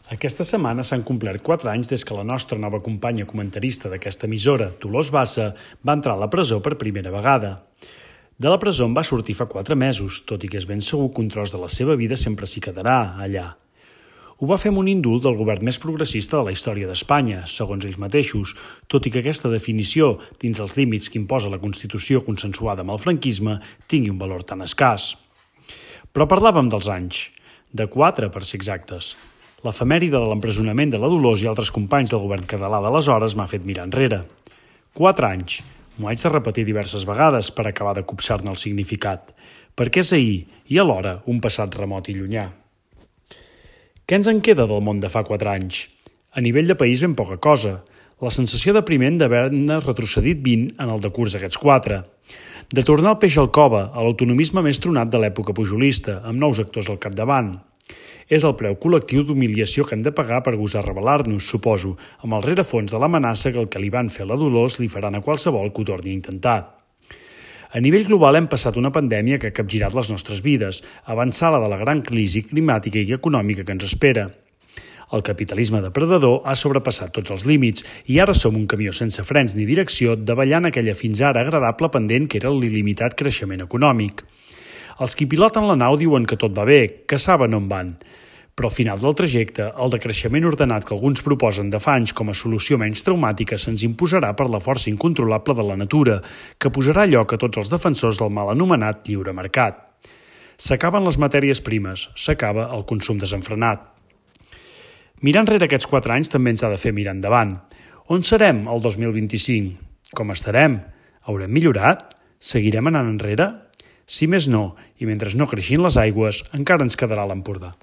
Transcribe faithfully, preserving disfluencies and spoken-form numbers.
Aquesta setmana s'han complert quatre anys des que la nostra nova companya comentarista d'aquesta emissora, Dolors Bassa, va entrar a la presó per primera vegada. De la presó en va sortir fa quatre mesos, tot i que és ben segur que un tros de la seva vida sempre s'hi quedarà, allà. Ho va fer amb un indult del govern més progressista de la història d'Espanya, segons ells mateixos, tot i que aquesta definició, dins els límits que imposa la Constitució consensuada amb el franquisme, tingui un valor tan escàs. Però parlàvem dels anys, de quatre per ser exactes. L'efemèride de l'empresonament de la Dolors i altres companys del govern català d'aleshores m'ha fet mirar enrere. Quatre anys. M'ho haig de repetir diverses vegades per acabar de copsar-ne el significat, perquè és ahir i alhora un passat remot i llunyà. Què ens en queda del món de fa quatre anys? A nivell de país ben poca cosa. La sensació depriment d'haver-ne retrocedit vint en el decurs d'aquests quatre. De tornar el peix al cove, a l'autonomisme més tronat de l'època pujolista, amb nous actors al capdavant. És el preu col·lectiu d'humiliació que hem de pagar per gosar rebel·lar-nos, suposo, amb el rerefons de l'amenaça que el que li van fer a la Dolors li faran a qualsevol que ho torni a intentar. A nivell global hem passat una pandèmia que ha capgirat les nostres vides, avançada de la gran crisi climàtica i econòmica que ens espera. El capitalisme depredador ha sobrepassat tots els límits i ara som un camió sense frens ni direcció davallant aquella fins ara agradable pendent que era l'il·limitat creixement econòmic. Els qui piloten la nau diuen que tot va bé, que saben on van. Però al final del trajecte, el decreixement ordenat que alguns proposen de fa anys com a solució menys traumàtica se'ns imposarà per la força incontrolable de la natura, que posarà lloc a tots els defensors del mal anomenat lliure mercat. S'acaben les matèries primes, s'acaba el consum desenfrenat. Mirar enrere aquests quatre anys també ens ha de fer mirar endavant. On serem el dos mil vint-i-cinc? Com estarem? Haurem millorat? Seguirem anant enrere? Si més no, i mentre no creixin les aigües, encara ens quedarà l'Empordà.